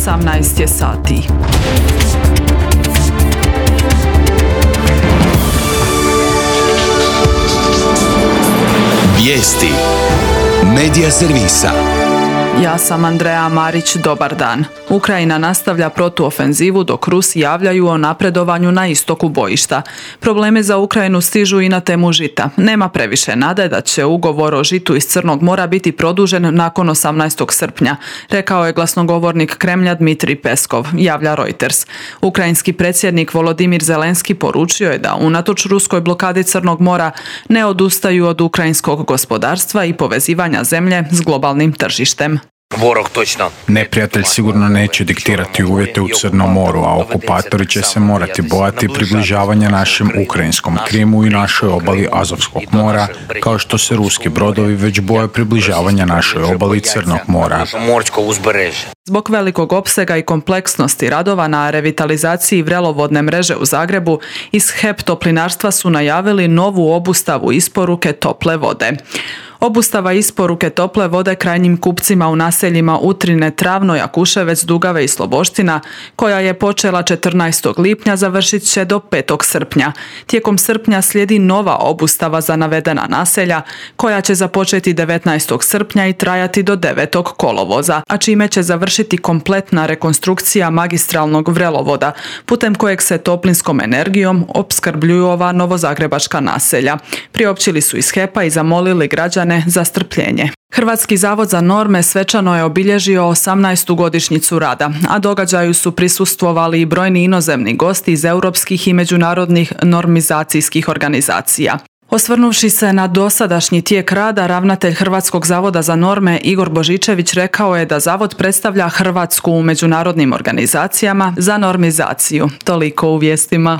18 je sati. Vijesti Medija servisa. Ja sam Andreja Marić, dobar dan. Ukrajina nastavlja protuofenzivu dok Rusi javljaju o napredovanju na istoku bojišta. Problemi za Ukrajinu stižu i na temu žita. Nema previše nade da će ugovor o žitu iz Crnog mora biti produžen nakon 18. srpnja, rekao je glasnogovornik Kremlja Dmitrij Peskov, javlja Reuters. Ukrajinski predsjednik Volodimir Zelenski poručio je da unatoč ruskoj blokadi Crnog mora ne odustaju od ukrajinskog gospodarstva i povezivanja zemlje s globalnim tržištem. Neprijatelj sigurno neće diktirati uvjete u Crnom moru, a okupatori će se morati bojati približavanja našem ukrajinskom Krimu i našoj obali Azovskog mora, kao što se ruski brodovi već boje približavanja našoj obali Crnog mora. Zbog velikog opsega i kompleksnosti radova na revitalizaciji vrelovodne mreže u Zagrebu, iz HEP Toplinarstva su najavili novu obustavu isporuke tople vode. Obustava isporuke tople vode krajnjim kupcima u naseljima Utrine, Travno, Jakuševec, Dugave i Sloboština, koja je počela 14. lipnja, završit će do 5. srpnja. Tijekom srpnja slijedi nova obustava za navedena naselja, koja će započeti 19. srpnja i trajati do 9. kolovoza, a čime će završiti kompletna rekonstrukcija magistralnog vrelovoda, putem kojeg se toplinskom energijom opskrbljuju ova novozagrebačka naselja. Priopćili su iz HEP-a i zamolili građane za strpljenje. Hrvatski zavod za norme svečano je obilježio 18. godišnjicu rada, a događaju su prisustvovali i brojni inozemni gosti iz europskih i međunarodnih normizacijskih organizacija. Osvrnuvši se na dosadašnji tijek rada, ravnatelj Hrvatskog zavoda za norme Igor Božičević rekao je da zavod predstavlja Hrvatsku u međunarodnim organizacijama za normizaciju. Toliko u vijestima.